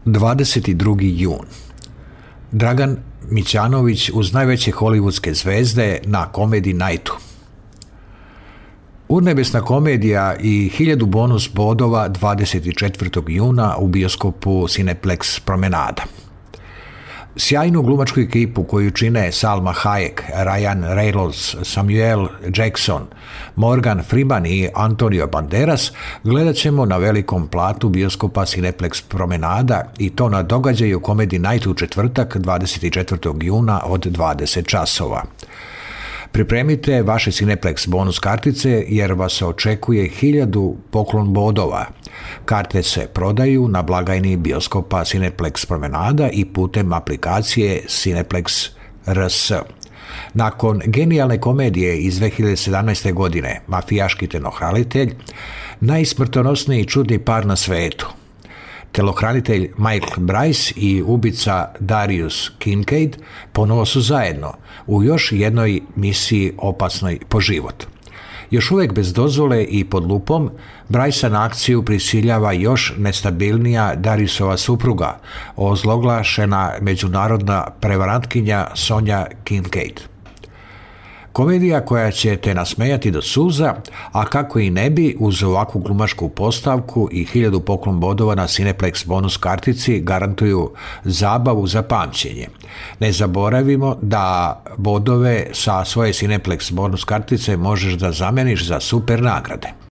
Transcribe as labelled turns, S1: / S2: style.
S1: 22. jun. Dragan Mićanović uz najveće hollywoodske zvezde na Comedy Nightu. Urnebesna komedija i 1000 bonus bodova 24. juna u bioskopu Cineplex Promenada. Sjajnu glumačku ekipu koju čine Salma Hayek, Ryan Reynolds, Samuel Jackson, Morgan Freeman i Antonio Banderas gledat ćemo na velikom platu bioskopa Cineplex Promenada i to na događaju Comedy Night u četvrtak 24. juna od 20 časova. Pripremite vaše Cineplex bonus kartice jer vas očekuje 1000 poklon bodova. Karte se prodaju na blagajni bioskopa Cineplex Promenada i putem aplikacije Cineplex RS. Nakon genijalne komedije iz 2017. godine Mafijaški telohranitelj, najsmrtonosniji i čudni par na svetu, telohranitelj Michael Bryce i ubica Darius Kincaid ponovo su zajedno u još jednoj misiji opasnoj po život. Još uvijek bez dozvole i pod lupom, Brycea na akciju prisiljava još nestabilnija Dariusova supruga, ozloglašena međunarodna prevarantkinja Sonja Kincaid. Komedija koja će te nasmejati do suza, a kako i ne bi uz ovakvu glumačku postavku i 1000 poklon bodova na Cineplex bonus kartici garantuju zabavu za pamćenje. Ne zaboravimo da bodove sa svoje Cineplex bonus kartice možeš da zameniš za super nagrade.